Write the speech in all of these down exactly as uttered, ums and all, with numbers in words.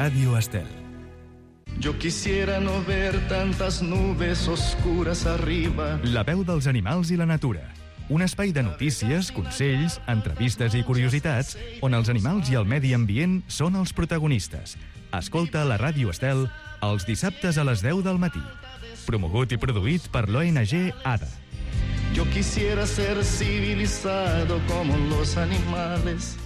Radio Estel. Yo quisiera no ver tantas nubes oscuras arriba. La veu dels animals i la natura. Un espai de notícies, consells, entrevistes i curiositats on els animals i el medi ambient són els protagonistes. Escolta la Ràdio Estel els dissabtes a les deu del matí. Promogut i produït per l'O N G ADA. Yo quisiera ser civilizado como los animales.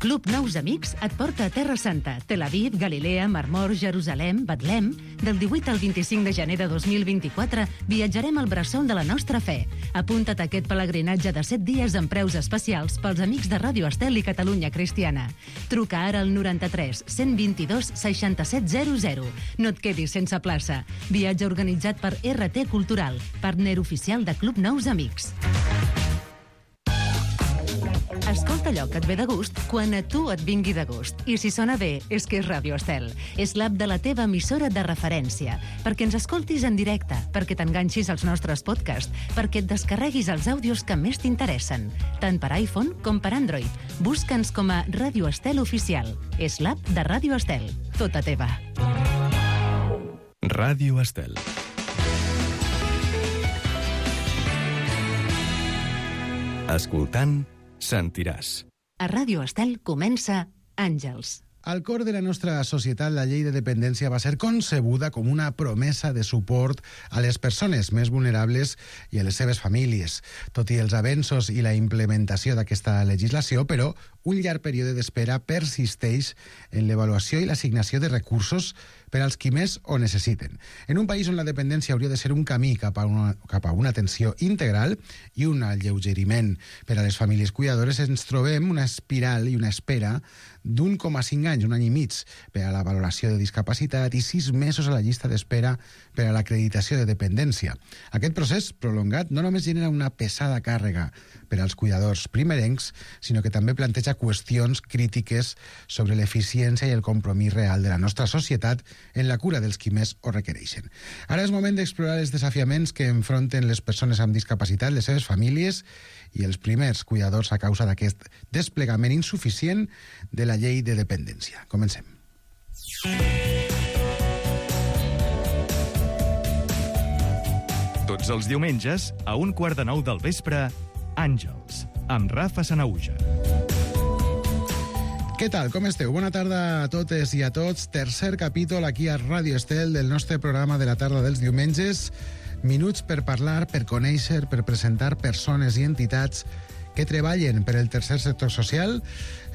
Club Nous Amics et porta a Terra Santa, Tel Aviv, Galilea, Mar Mor, Jerusalem, Betlem. Del divuit al vint-i-cinc de gener de dos mil vint-i-quatre viatjarem al bressol de la nostra fe. Apunta't a aquest pelegrinatge de set dies amb preus especials pels amics de Ràdio Estel i Catalunya Cristiana. Truca ara al noranta-tres cent vint-i-dos seixanta-set zero zero. No et quedis sense plaça. Viatge organitzat per R T Cultural, partner oficial de Club Nous Amics. Escolta allò que et ve de gust quan a tu et vingui de gust. I si sona bé, és que és Ràdio Estel. És l'app de la teva emissora de referència. Perquè ens escoltis en directe, perquè t'enganxis als nostres podcasts, perquè et descarreguis els àudios que més t'interessen, tant per iPhone com per Android. Busca'ns com a Ràdio Estel Oficial. És l'app de Ràdio Estel. Tota teva. Ràdio Estel. Escoltant, sentiràs. A Ràdio Estel comença Àngels. Al cor de la nostra societat, la llei de dependència va ser concebuda com una promesa de suport a les persones més vulnerables i a les seves famílies. Tot i els avenços i la implementació d'aquesta legislació, però, un llarg període d'espera persisteix en l'avaluació i l'assignació de recursos per als qui més ho necessiten. En un país on la dependència hauria de ser un camí cap a una, cap a una atenció integral i un alleugeriment per a les famílies cuidadores, ens trobem una espiral i una espera d'un coma cinc anys, un any i mig, per a la valoració de discapacitat i sis mesos a la llista d'espera per a l'acreditació de dependència. Aquest procés prolongat no només genera una pesada càrrega per als cuidadors primerencs, sinó que també planteja qüestions crítiques sobre l'eficiència i el compromís real de la nostra societat en la cura dels qui més ho requereixen. Ara és moment d'explorar els desafiaments que enfronten les persones amb discapacitat, les seves famílies i els primers cuidadors a causa d'aquest desplegament insuficient de la llei de dependència. Comencem. Tots els diumenges, a un quart de nou del vespre, Àngels, amb Rafa Sanahuja. Què tal? Com esteu? Bona tarda a totes i a tots. Tercer capítol aquí a Ràdio Estel del nostre programa de la tarda dels diumenges. Minuts per parlar, per conèixer, per presentar persones i entitats que treballen per el tercer sector social,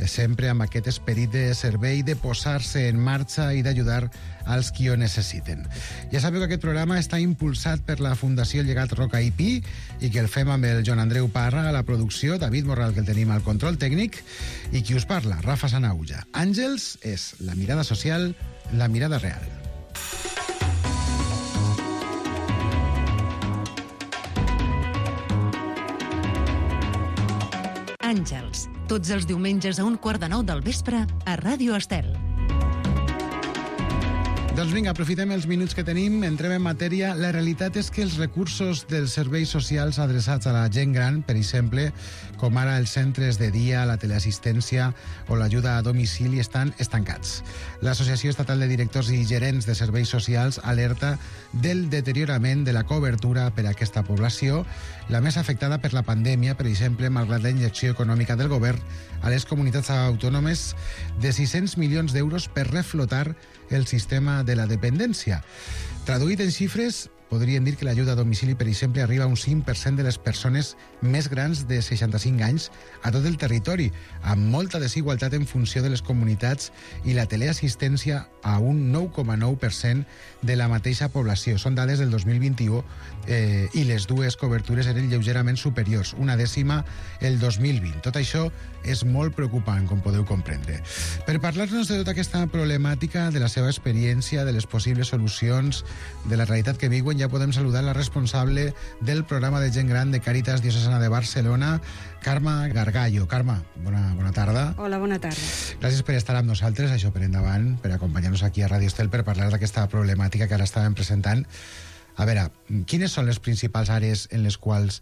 sempre amb aquest esperit de servei, de posar-se en marxa i d'ajudar als qui ho necessiten. Ja sabeu que aquest programa està impulsat per la Fundació Llegat Roca i Pi i que el fem amb el Joan Andreu Parra a la producció, David Morral, que el tenim al control tècnic, i qui us parla, Rafa Sanahuja. Àngels és la mirada social, la mirada real. Àngels, tots els diumenges a un quart de nou del vespre a Ràdio Estel. Doncs vinga, aprofitem els minuts que tenim, entrem en matèria. La realitat és que els recursos dels serveis socials adreçats a la gent gran, per exemple, com ara els centres de dia, la teleassistència o l'ajuda a domicili, estan estancats. L'Associació Estatal de Directors i Gerents de Serveis Socials alerta del deteriorament de la cobertura per a aquesta població, la més afectada per la pandèmia, per exemple, malgrat la injecció econòmica del govern a les comunitats autònomes de sis-cents milions d'euros per reflotar el sistema de la dependència. Traduït en xifres, podríem dir que l'ajuda a domicili, per exemple, arriba a un cinc per cent de les persones més grans de seixanta-cinc anys a tot el territori, amb molta desigualtat en funció de les comunitats, i la teleassistència a un nou coma nou per cent de la mateixa població. Són dades del dos mil vint-i-u eh, i les dues cobertures eren lleugerament superiors, una dècima el dos mil vint. Tot això és molt preocupant, com podeu comprendre. Per parlar-nos de tota aquesta problemàtica, de la seva experiència, de les possibles solucions, de la realitat que viuen, ja podem saludar la responsable del programa de gent gran de Càritas Diocesana de Barcelona, Carme Gargallo. Carme, bona, bona tarda. Hola, bona tarda. Gràcies per estar amb nosaltres, això per endavant, per acompanyar-nos aquí a Ràdio Estel per parlar d'aquesta problemàtica que ara estàvem presentant. A veure, quines són les principals àrees en les quals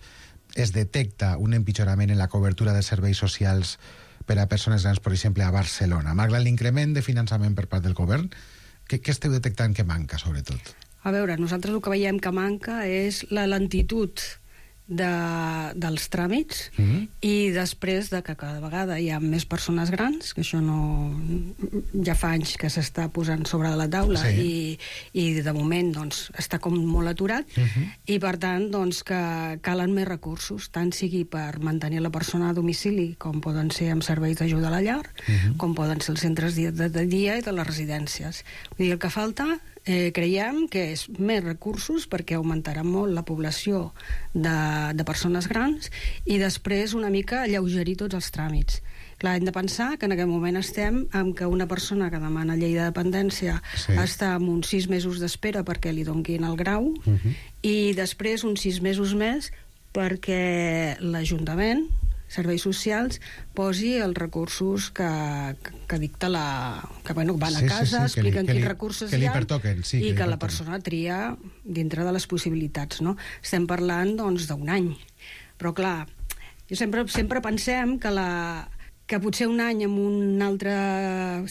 es detecta un empitjorament en la cobertura de serveis socials per a persones grans, per exemple, a Barcelona. Malgrat l'increment de finançament per part del govern, què, què esteu detectant que manca, sobretot? A veure, nosaltres el que veiem que manca és la lentitud de, dels tràmits mm-hmm. i després de que cada vegada hi ha més persones grans, que això no ja fa anys que s'està posant sobre la taula sí. i, i de moment doncs, està com molt aturat mm-hmm. i per tant doncs, que calen més recursos, tant sigui per mantenir la persona a domicili, com poden ser amb serveis d'ajuda a la llar, mm-hmm. com poden ser els centres de, de, de dia i de les residències. Vull dir, el que falta Eh, creiem que és més recursos perquè augmentarà molt la població de, de persones grans i després una mica alleugerir tots els tràmits. Clar, hem de pensar que en aquest moment estem amb que una persona que demana llei de dependència sí. està amb uns sis mesos d'espera perquè li donguin el grau uh-huh. i després uns sis mesos més perquè l'Ajuntament, serveis socials, posi els recursos que, que, que dicta la... que bueno, van sí, a casa, sí, sí, expliquen li, quins li, recursos que hi ha pertoquen, sí, i que, que la persona tria dintre de les possibilitats, no? Estem parlant, doncs, d'un any. Però, clar, jo sempre, sempre pensem que la que potser un any en un altre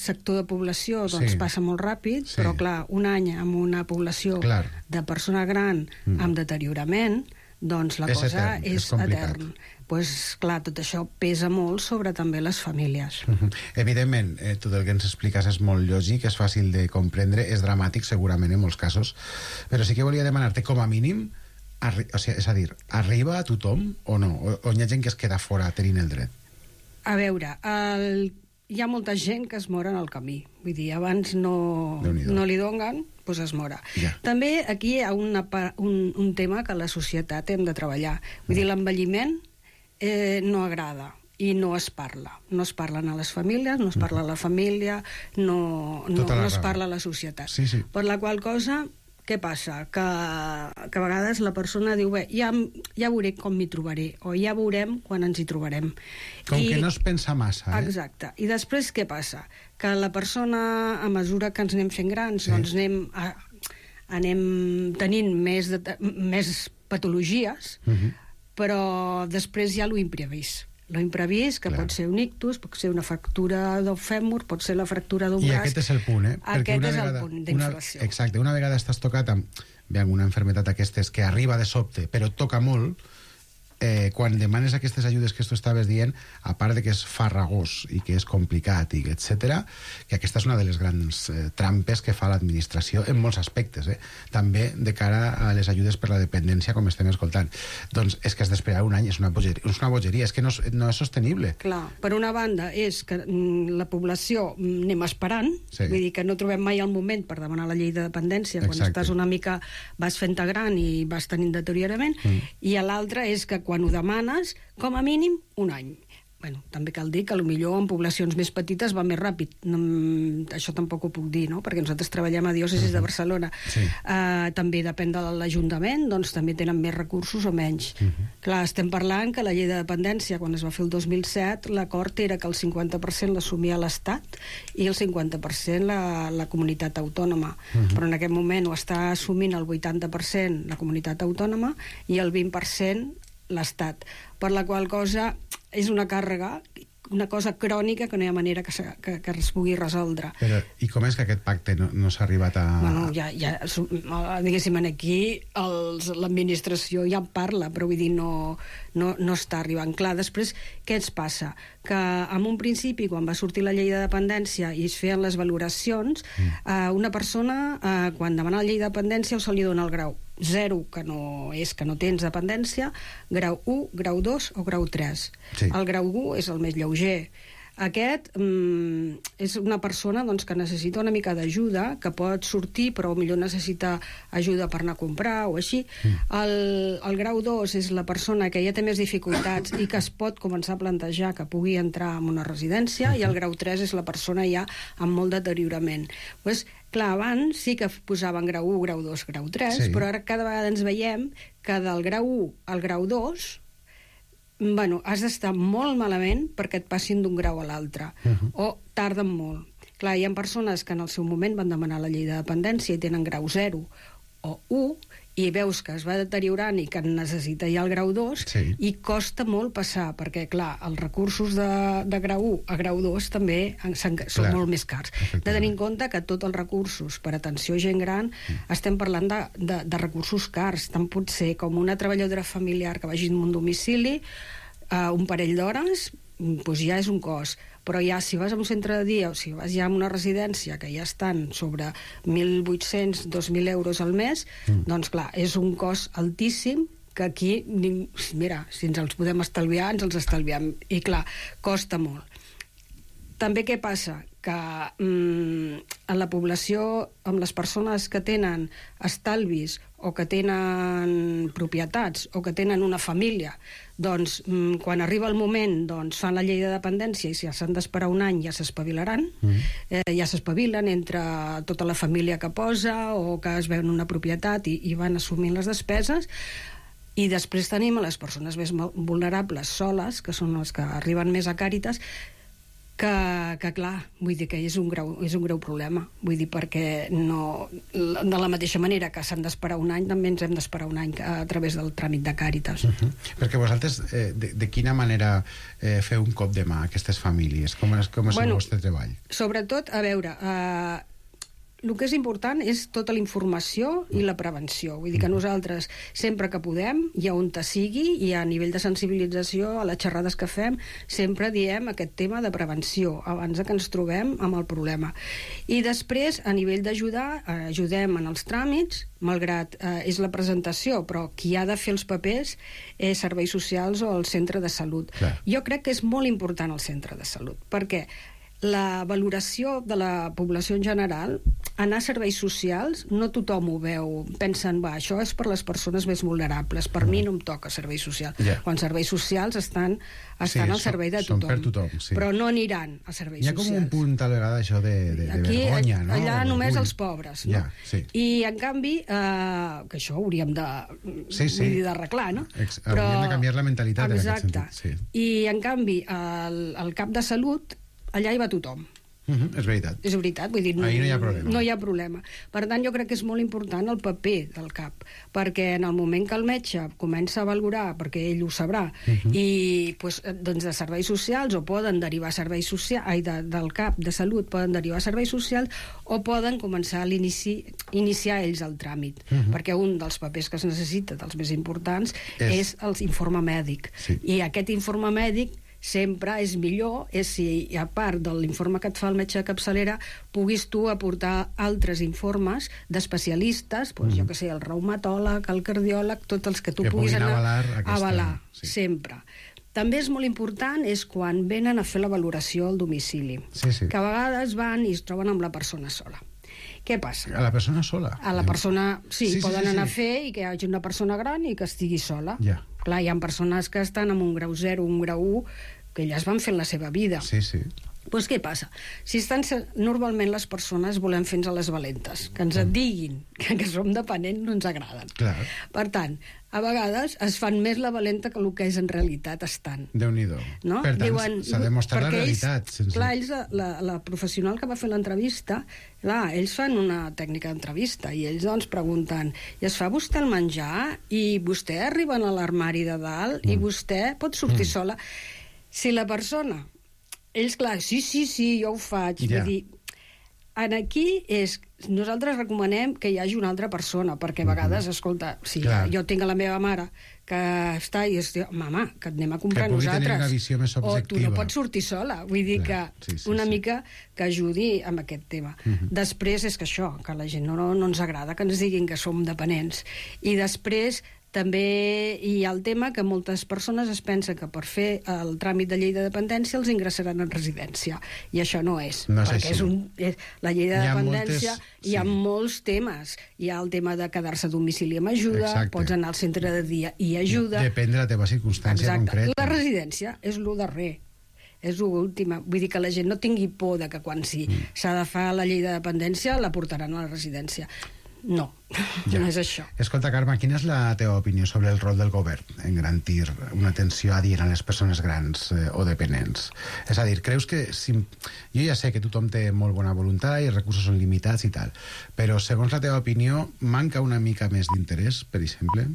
sector de població doncs, sí. passa molt ràpid, sí. però, clar, un any amb una població clar. de persona gran mm. amb deteriorament, doncs la és cosa etern, és, és etern. Pues, clar, tot això pesa molt sobre també les famílies. Uh-huh. Evidentment, eh, tot el que ens expliques és molt lògic, és fàcil de comprendre, és dramàtic segurament en molts casos, però sí que volia demanar-te com a mínim, arri- o sigui, és a dir, arriba a tothom o no? O, o hi ha gent que es queda fora tenint el dret? A veure, el... hi ha molta gent que es mora en el camí. Vull dir, abans no, no li donen, doncs es mora. Ja. També aquí hi ha una, un, un tema que la societat hem de treballar. Vull dir, l'envelliment eh, no agrada i no es parla. No es parlen a les famílies, no es parla a la família, no, no, no es parla a la societat. Sí, sí. Per la qual cosa, què passa? Que, que a vegades la persona diu, bé, ja, ja veuré com m'hi trobaré, o ja veurem quan ens hi trobarem. Com I, que no es pensa massa, eh? Exacte. I després què passa? Que la persona, a mesura que ens anem fent grans, sí. doncs anem, a, anem tenint més, de, més patologies, uh-huh. però després hi ha lo imprevist. Lo imprevist, que Clar. pot ser un ictus, pot ser una fractura del fèmur, pot ser la fractura d'un braç. I aquest és el punt, eh? Aquest una és vegada, el punt d'inflació. Exacte, una vegada estàs tocat amb, bé, amb una malaltia d'aquestes que arriba de sobte, però toca molt, eh, quan demanes aquestes ajudes que tu estaves dient, a part de que és farragós i que és complicat, i etcètera, que aquesta és una de les grans eh, trampes que fa l'administració en molts aspectes, eh? També de cara a les ajudes per la dependència, com estem escoltant. Doncs és que has d'esperar un any, és una bogeria, és una bogeria, és que no és, no és sostenible. Clar, per una banda és que mm, la població mm, anem esperant, sí. vull dir que no trobem mai el moment per demanar la llei de dependència, quan Exacte. estàs una mica, vas fent-te gran i vas tenint deteriorament, mm. i l'altra és que quan ho demanes, com a mínim, un any. Bueno, també cal dir que potser en poblacions més petites va més ràpid. No, això tampoc ho puc dir, no? Perquè nosaltres treballem a Diòcesis uh-huh. de Barcelona. Sí. Uh, també depèn de l'Ajuntament, doncs també tenen més recursos o menys. Uh-huh. Clar, estem parlant que la llei de dependència, quan es va fer el dos mil set, l'acord era que el cinquanta per cent l'assumia l'Estat i el cinquanta per cent la, la comunitat autònoma. Uh-huh. Però en aquest moment ho està assumint el vuitanta per cent la comunitat autònoma i el vint per cent l'Estat. Per la qual cosa és una càrrega, una cosa crònica que no hi ha manera que, se, que, que es pugui resoldre. Però i com és que aquest pacte no, no s'ha arribat a... Bueno, ja, ja, diguéssim, aquí l'administració ja en parla, però vull dir, no, no, no està arribant. Clar, després, què ens passa? Que en un principi, quan va sortir la llei de dependència i es feien les valoracions, mm. eh, una persona, eh, quan demana la llei de dependència, o se li dona el grau zero, que no és que no tens dependència, grau u, grau dos o grau tres. Sí. El grau u és el més lleuger. Aquest mm, és una persona doncs, que necessita una mica d'ajuda, que pot sortir però millor necessita ajuda per anar a comprar o així. Mm. El, el grau dos és la persona que ja té més dificultats i que es pot començar a plantejar que pugui entrar en una residència, mm-hmm. i el grau tres és la persona ja amb molt deteriorament. Pues, clar, abans sí que posaven grau u, grau dos, grau tres, sí. però ara cada vegada ens veiem que del grau u al grau dos bueno, has d'estar molt malament perquè et passin d'un grau a l'altre, uh-huh. o tarden molt. Clar, hi ha persones que en el seu moment van demanar la llei de dependència i tenen grau zero o u, i veus que es va deteriorant i que necessita ja el grau dos, sí. i costa molt passar, perquè, clar, els recursos de, de grau u a grau dos també són clar, molt més cars. De tenir en compte que tots els recursos per atenció a gent gran mm. estem parlant de, de, de recursos cars. Tant pot ser com una treballadora familiar que vagi en un domicili, uh, un parell d'hores, doncs ja és un cost. Però ja si vas a un centre de dia o si vas ja a una residència que ja estan sobre mil vuit-cents, dos mil euros al mes, mm. doncs clar, és un cost altíssim que aquí, mira, si ens els podem estalviar, ens els estalviem. I clar, costa molt. També què passa? Que mm, en la població, amb les persones que tenen estalvis o que tenen propietats o que tenen una família, doncs mm, quan arriba el moment doncs, fan la llei de dependència i si s'han d'esperar un any ja s'espavilaran, mm. eh, ja s'espavilen entre tota la família que posa o que es veuen una propietat i, i van assumint les despeses. I després tenim a les persones més vulnerables soles, que són les que arriben més a Càritas, que, que clar, vull dir que és un greu, és un greu problema, vull dir perquè no, de la mateixa manera que s'han d'esperar un any, també ens hem d'esperar un any a través del tràmit de Càritas. Uh-huh. Perquè vosaltres, eh, de, de quina manera eh, feu un cop de mà a aquestes famílies? Com és, com és bueno, el vostre treball? Sobretot, a veure, eh, el que és important és tota la informació i la prevenció. Vull dir que nosaltres, sempre que podem, i on te sigui, i a nivell de sensibilització, a les xerrades que fem, sempre diem aquest tema de prevenció, abans que ens trobem amb el problema. I després, a nivell d'ajudar, eh, ajudem en els tràmits, malgrat eh, és la presentació, però qui ha de fer els papers és serveis socials o el centre de salut. Clar. Jo crec que és molt important el centre de salut, perquè la valoració de la població en general, anar a serveis socials, no tothom ho veu, pensen, va, això és per les persones més vulnerables, per mm. mi no em toca serveis socials, yeah. quan serveis socials estan, estan sí, al servei de tothom, per tothom sí. però no aniran a serveis socials. Hi ha com socials. Un punt, tal vegada, això de, de, de Aquí, vergonya, no? Allà o només orgull. Els pobres, no? Yeah, sí. I, en canvi, eh, que això hauríem de sí, sí. d'arreglar, no? Ex però, hauríem de canviar la mentalitat exacte. En aquest sentit. Sí. I, en canvi, el, el cap de salut, allà hi va tothom. Uh-huh, és veritat. És veritat, vull dir, no, ahí no hi ha problema. No hi ha problema. Per tant, jo crec que és molt important el paper del cap, perquè en el moment que el metge comença a valorar, perquè ell ho sabrà, uh-huh. i pues, doncs de serveis socials, o poden derivar a serveis socials, ai, de, del cap de salut poden derivar a serveis socials, o poden començar a l'inici, iniciar ells el tràmit, uh-huh. perquè un dels papers que es necessita, dels més importants, és, és l'informe mèdic. Sí. I aquest informe mèdic sempre és millor és si, a part de l'informe que et fa el metge de capçalera, puguis tu aportar altres informes d'especialistes, doncs, mm. jo que sé, el reumatòleg, el cardiòleg, tots els que tu que puguis anar avalar, aquesta... avalar sí. sempre. També és molt important és quan venen a fer la valoració al domicili, sí, sí. que a vegades van i es troben amb la persona sola. Què passa? A la persona sola? A la persona, sí, sí poden sí, sí, anar sí. a fer i que hi hagi una persona gran i que estigui sola. Ja. Clar, hi ha persones que estan amb un grau zero, un grau u, que elles van fent la seva vida. Sí, sí. Doncs què passa? Si estan, normalment les persones volem fer-nos a les valentes, que ens mm. diguin que, que som dependents no ens agraden. Clar. Per tant, a vegades es fan més la valenta que el que és en realitat estan. Déu-n'hi-do. No? Per tant, s'ha de mostrar la realitat. Ells, sense... Clar, ells, la, la professional que va fer l'entrevista, clar, ells fan una tècnica d'entrevista i ells doncs pregunten, i es fa vostè el menjar? I vostè arriba a l'armari de dalt? Mm. I vostè pot sortir mm. sola? Si la persona... Ells, clar, sí, sí, sí, jo ho faig. Yeah. Vull dir, en aquí és... Nosaltres recomanem que hi hagi una altra persona, perquè a vegades, mm-hmm. escolta, si clar. Jo tinc a la meva mare que està i es diu, mama, que et anem a comprar que nosaltres. Tenir una visió més objectiva. O tu no pots sortir sola. Vull dir clar. que sí, sí, una sí. mica que ajudi amb aquest tema. Mm-hmm. Després és que això, que a la gent no, no ens agrada que ens diguin que som dependents. I després... També hi ha el tema que moltes persones es pensen que per fer el tràmit de llei de dependència els ingressaran en residència. I això no és. No és perquè així. És un, és, la llei de hi dependència moltes, hi ha sí. molts temes. Hi ha el tema de quedar-se a domicili amb ajuda, exacte. Pots anar al centre de dia i ajuda. Depèn de la teva circumstància exacte. Concreta. La residència és el darrer. És l'última. Vull dir que la gent no tingui por de que quan sí, mm. s'ha de fer la llei de dependència la portaran a la residència. no, ja. no és això. Escolta, Carme, quina és la teva opinió sobre el rol del govern en garantir una atenció adient a les persones grans eh, o dependents? És a dir, creus que... Si... Jo ja sé que tothom té molt bona voluntat i els recursos són limitats i tal, però segons la teva opinió, manca una mica més d'interès, per exemple?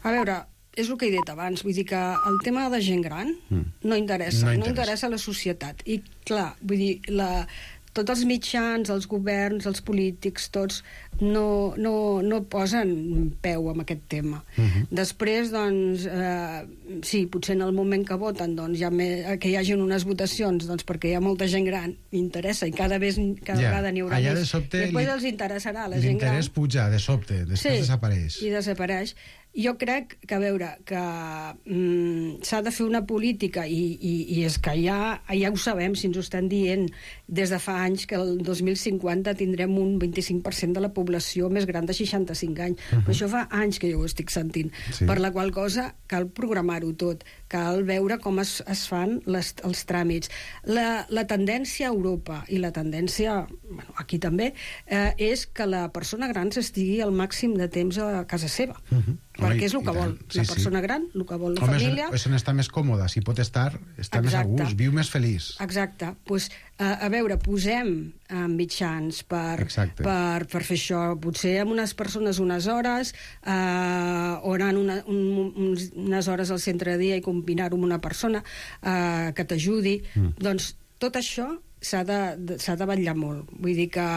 A veure, és el que he dit abans, vull dir que el tema de gent gran mm. no interessa, no interessa, no interessa a la societat. I clar, vull dir, la... tots els mitjans, els governs, els polítics, tots no, no, no posen peu amb aquest tema. Uh-huh. Després, doncs, eh, sí, potser en el moment que voten, doncs, ja me, que hi hagin unes votacions, doncs, perquè hi ha molta gent gran, interessa, i cada, vez, cada ja. vegada n'hi haurà Allà més. De sobte, després li, els interessarà la gent gran. L'interès puja, de sobte, després sí, desapareix. i desapareix. Jo crec que, a veure, que mm, s'ha de fer una política i, i, i és que ja, ja ho sabem, si ens ho estan dient des de fa anys, que el dos mil cinquanta tindrem un vint-i-cinc per cent de la població més gran de seixanta-cinc anys. Uh-huh. Però això fa anys que jo ho estic sentint. Sí. Per la qual cosa cal programar-ho tot, cal veure com es, es fan les, els tràmits. La, la tendència a Europa i la tendència, bueno, aquí també, eh, és que la persona gran estigui el màxim de temps a casa seva. Uh-huh. Perquè és el que vol. Sí, la persona sí. gran, el que vol la Home, família... És on està més còmoda. Si pot estar, està Exacte. més a gust, viu més feliç. Exacte. Pues, a, a veure, posem uh, mitjans per, per, per fer això. Potser amb unes persones unes hores, uh, o anar una, un, uns, unes hores al centre de dia i combinar-ho amb una persona uh, que t'ajudi. Mm. Doncs tot això s'ha de, de, s'ha de vetllar molt. Vull dir que,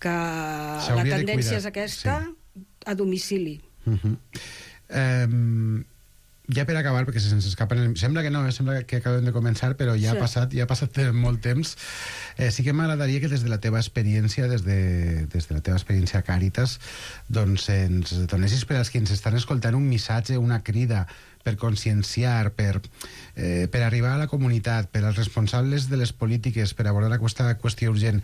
que la tendència és aquesta sí. a domicili. Uh-huh. um, ja per acabar, perquè se'ns escapa el... sembla que no, eh? Sembla que acabem de començar, però ja, sí. ha, passat, ja ha passat molt temps. eh, sí que m'agradaria que des de la teva experiència des de, des de la teva experiència a Càritas, doncs ens donessis per als que ens estan escoltant un missatge, una crida per conscienciar, per, eh, per arribar a la comunitat, per als responsables de les polítiques, per abordar aquesta qüestió urgent.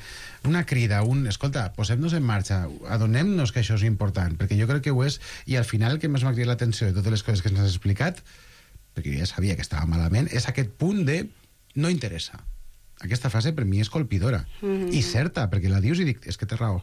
Una crida, un... Escolta, posem-nos en marxa, adonem-nos que això és important, perquè jo crec que ho és, i al final el que més m'ha cridat l'atenció de totes les coses que ens has explicat, perquè jo ja sabia que estava malament, és aquest punt de no interessa. Aquesta frase per mi és colpidora. Mm-hmm. I certa, perquè la dius i dic, és que té raó.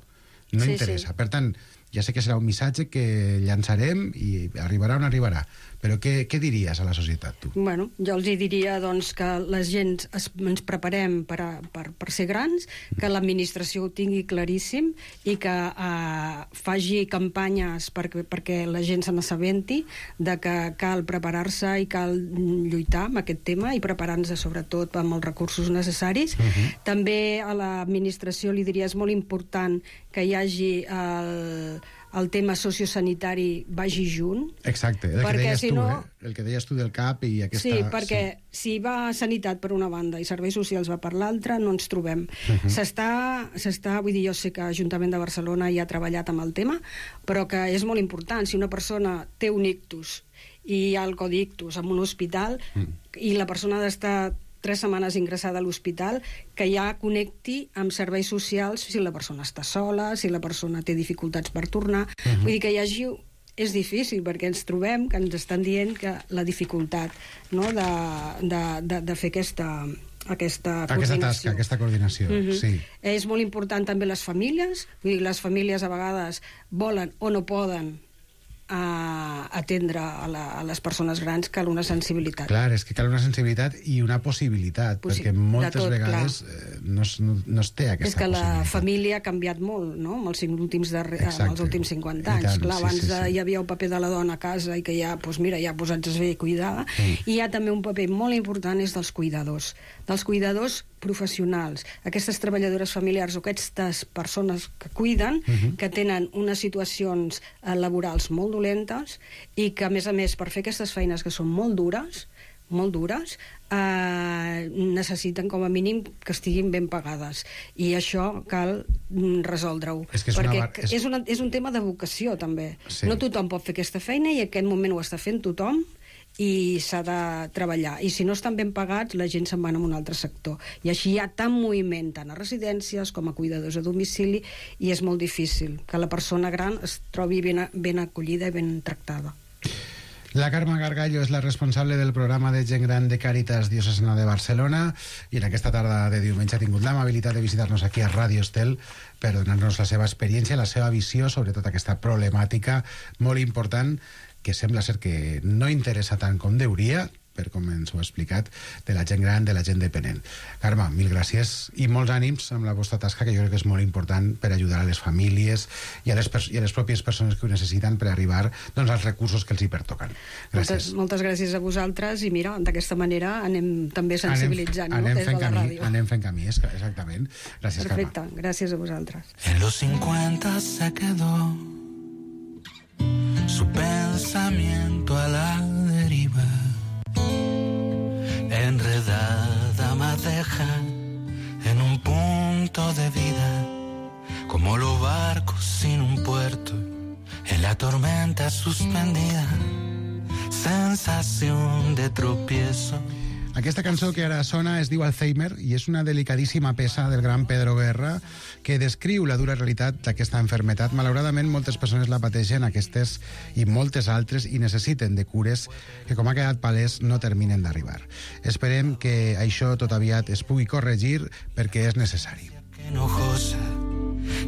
No sí, interessa. Sí. Per tant, ja sé que serà un missatge que llançarem i arribarà on arribarà. Però què, què diries a la societat, tu? Bueno, jo els hi diria doncs, que la gent es, ens preparem per, a, per, per ser grans, que l'administració ho tingui claríssim i que eh, faci campanyes perquè, perquè la gent se n'assabenti de que cal preparar-se i cal lluitar amb aquest tema i preparar-nos sobretot amb els recursos necessaris. Uh-huh. També a l'administració li diria és molt important que hi hagi el... el tema sociosanitari vagi junt. Exacte, el que deies si tu, no... eh? El que deies tu del C A P i aquesta... Sí, perquè sí. si va sanitat per una banda i serveis socials va per l'altra, no ens trobem. Uh-huh. S'està, s'està, vull dir, jo sé que l'Ajuntament de Barcelona ja ha treballat amb el tema, però que és molt important. Si una persona té un ictus i hi ha el codi ictus en un hospital uh-huh. i la persona ha d'estar tres setmanes ingressada a l'hospital, que ja connecti amb serveis socials si la persona està sola, si la persona té dificultats per tornar. Uh-huh. Vull dir que hi hagi... És difícil, perquè ens trobem que ens estan dient que la dificultat, no?, de, de, de, de fer aquesta, aquesta coordinació. Aquesta tasca, aquesta coordinació, uh-huh. sí. És molt important també les famílies. Vull dir, les famílies a vegades volen o no poden a atendre a, la, a les persones grans, cal una sensibilitat. Clar, és que cal una sensibilitat i una possibilitat, Possi perquè moltes tot, vegades eh, no, es, no, no es té aquesta possibilitat. És que la família ha canviat molt, no?, en els últims, darrer, en els últims cinquanta anys. Tant, clar, abans sí, sí, sí. hi havia el paper de la dona a casa i que ja, doncs mira, ja posats a fer cuidar, mm. i hi ha també un paper molt important és dels cuidadors, dels cuidadors professionals, aquestes treballadores familiars o aquestes persones que cuiden, uh-huh. que tenen unes situacions eh, laborals molt dolentes i que, a més a més, per fer aquestes feines que són molt dures, molt dures, eh, necessiten com a mínim que estiguin ben pagades. I això cal resoldre-ho. És que és perquè una... és... És, una, és un tema de vocació, també. Sí. No tothom pot fer aquesta feina i en aquest moment ho està fent tothom, i s'ha de treballar. I si no estan ben pagats, la gent se'n va a un altre sector. I així hi ha tant moviment, tant a residències com a cuidadors a domicili, i és molt difícil que la persona gran es trobi ben, ben acollida i ben tractada. La Carme Gargallo és la responsable del programa de gent gran de Càritas Diocesana de Barcelona i en aquesta tarda de diumenge ha tingut l'amabilitat de visitar-nos aquí a Ràdio Estel per donar-nos la seva experiència, la seva visió sobre tota aquesta problemàtica molt important que sembla ser que no interessa tant com deuria, per com ens ho ha explicat, de la gent gran, de la gent dependent. Carme, mil gràcies i molts ànims amb la vostra tasca, que jo crec que és molt important per ajudar a les famílies i a les, i a les pròpies persones que ho necessiten per arribar doncs, als recursos que els hi pertoquen. Gràcies. Moltes, moltes gràcies a vosaltres i mira, d'aquesta manera anem també sensibilitzant, anem, no? anem Des de la camí, ràdio. Anem fent camí, exactament. Gràcies, Perfecte, Carme. gràcies a vosaltres. En los cincuenta se quedó su pensamiento a la deriva. Enredada madeja en un punto de vida, como los barcos sin un puerto, en la tormenta suspendida, sensación de tropiezo. Aquesta cançó que ara sona es diu Alzheimer i és una delicadíssima peça del gran Pedro Guerra que descriu la dura realitat d'aquesta enfermetat. Malauradament, moltes persones la pateixen, aquestes i moltes altres, i necessiten de cures que, com ha quedat palès, no terminen d'arribar. Esperem que això tot aviat es pugui corregir perquè és necessari. Enojosa,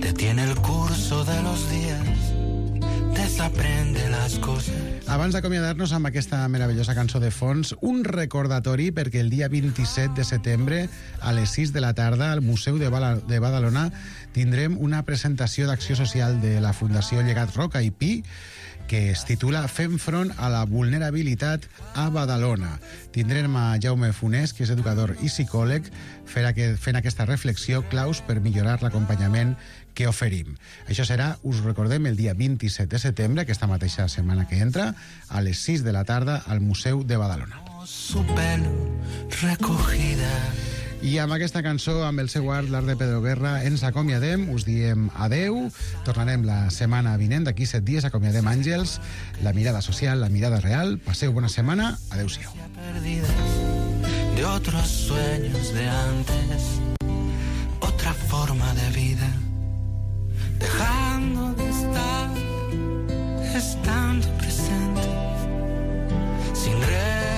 detiene el curso de los días, desaprende las cosas. Abans d'acomiadar-nos amb aquesta meravellosa cançó de fons, un recordatori perquè el dia vint-i-set de setembre a les sis de la tarda al Museu de, Bala, de Badalona tindrem una presentació d'acció social de la Fundació Llegat Roca i Pi que es titula Fem front a la vulnerabilitat a Badalona. Tindrem a Jaume Funès, que és educador i psicòleg, fent aquesta reflexió claus per millorar l'acompanyament que oferim. Això serà, us recordem, el dia vint-i-set de setembre, aquesta mateixa setmana que entra, a les sis de la tarda al Museu de Badalona. Su pelo recogida. I amb aquesta cançó, amb el seu art, l'art de Pedro Guerra, ens acomiadem, us diem adeu, tornarem la setmana vinent, d'aquí set dies, acomiadem Àngels, la mirada social, la mirada real, passeu bona setmana, adeu-siau. Perdida de otros sueños de antes, otra forma de vida, dejando de estar, estando presente, sin re